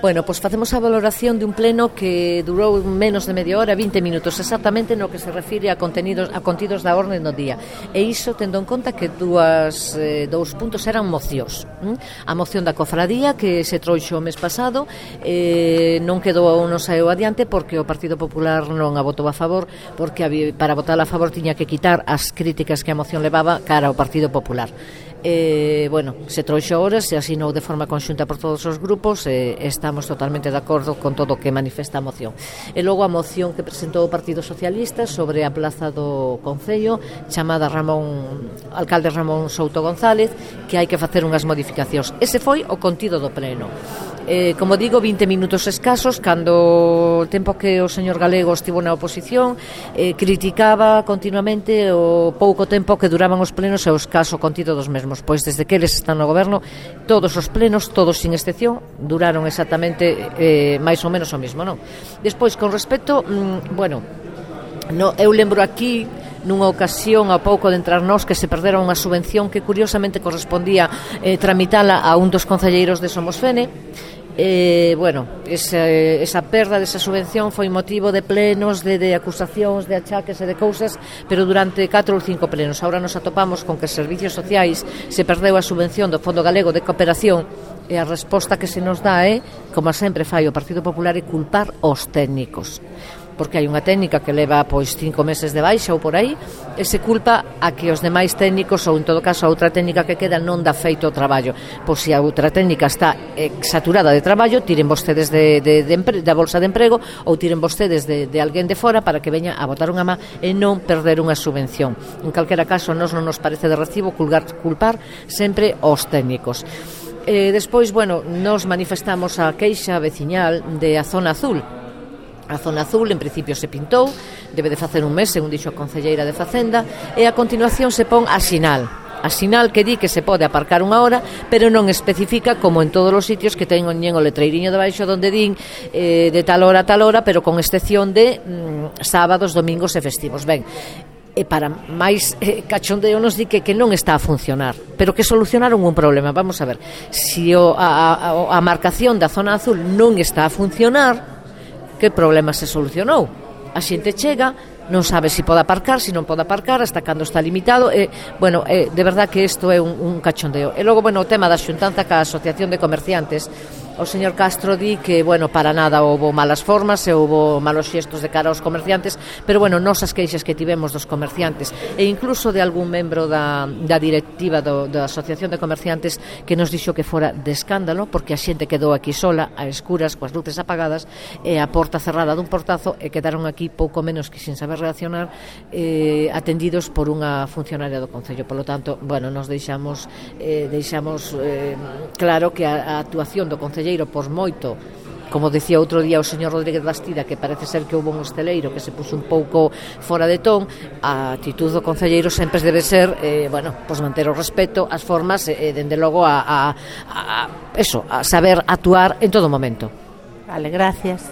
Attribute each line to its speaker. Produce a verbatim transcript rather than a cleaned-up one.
Speaker 1: Bueno, pois facemos a valoración de un pleno que durou menos de media hora, vinte minutos exactamente, no que se refire a contenidos a contidos da orde do día. E iso tendo en conta que dúas, eh, dous puntos eran mocións. ¿Mm? A moción da cofradía que se trouxo o mes pasado eh, non quedou non saeu adiante porque o Partido Popular non a votou a favor, porque había, para votar a favor tiña que quitar as críticas que a moción levaba cara ao Partido Popular. Eh, bueno, se trouxo ahora, se asinou de forma conxunta por todos os grupos e eh, estamos totalmente de acordo con todo o que manifesta a moción. E logo a moción que presentou o Partido Socialista sobre a plaza do Concello, chamada Ramón alcalde Ramón Souto González, que hai que facer unhas modificacións. Ese foi o contido do pleno. Eh, como digo, vinte minutos escasos, cando o tempo que o señor Galego estivo na oposición, eh, criticaba continuamente o pouco tempo que duraban os plenos e o escaso contido dos mesmos. Pois desde que eles están no goberno, todos os plenos, todos sin excepción, duraron exactamente eh, máis ou menos o mismo, non? Despois, con respecto, mmm, bueno, no, eu lembro aquí nunha ocasión a pouco de entrar nós que se perdera unha subvención que curiosamente correspondía eh, tramitala a un dos concelleiros de Somosfene. Eh, bueno, esa, esa perda desa subvención foi motivo de plenos, de, de acusacións, de achaques e de cousas, pero durante catro ou cinco plenos. Ahora nos atopamos con que Servicios Sociais se perdeu a subvención do Fondo Galego de Cooperación e a resposta que se nos dá é, como sempre fai o Partido Popular, é culpar os técnicos, porque hai unha técnica que leva pois cinco meses de baixa ou por aí, e se culpa a que os demais técnicos, ou en todo caso a outra técnica que queda, non dá feito o traballo. Pois se a outra técnica está eh, saturada de traballo, tiren vostedes de, de, de empre, da bolsa de emprego, ou tiren vostedes de, de alguén de fora para que veña a botar unha má e non perder unha subvención. En calquera caso, nos non nos parece de recibo culpar, culpar sempre os técnicos. Eh, despois, bueno, nos manifestamos a queixa veciñal de a zona azul. A zona azul, en principio, se pintou, debe de facer un mes, según dixo a concelleira de Facenda, e a continuación se pon a sinal. A sinal que di que se pode aparcar unha hora, pero non especifica, como en todos os sitios, que teñen o letreiriño de baixo donde din eh, de tal hora a tal hora, pero con excepción de mm, sábados, domingos e festivos. Ben, e para máis eh, cachondeo nos di que, que non está a funcionar, pero que solucionaron un problema. Vamos a ver, se o, a, a, a marcación da zona azul non está a funcionar, que problema se solucionou? A xente chega, non sabe se pode aparcar, se non pode aparcar, hasta cando está limitado, e, bueno, eh, de verdad que isto é un, un cachondeo. E logo, bueno, o tema da xuntanza ca Asociación de Comerciantes, o señor Castro di que, bueno, para nada houbo malas formas e houbo malos xestos de cara aos comerciantes, pero, bueno, nos as queixas que tivemos dos comerciantes e incluso de algún membro da, da directiva do, da Asociación de Comerciantes que nos dixo que fora de escándalo porque a xente quedou aquí sola, a escuras, coas luces apagadas e a porta cerrada dun portazo e quedaron aquí pouco menos que sin saber reaccionar, eh, atendidos por unha funcionaria do Concello. Por lo tanto, bueno, nos deixamos, eh, deixamos eh, claro que a, a actuación do Concello, por moito, como decía outro día o señor Rodríguez Bastida, que parece ser que houve un hosteleiro que se puso un pouco fora de ton, a actitud do concelleiro sempre debe ser eh, bueno, pues manter o respeto, as formas e, eh, dende logo a, a, a, eso, a saber actuar en todo momento.
Speaker 2: Vale, gracias.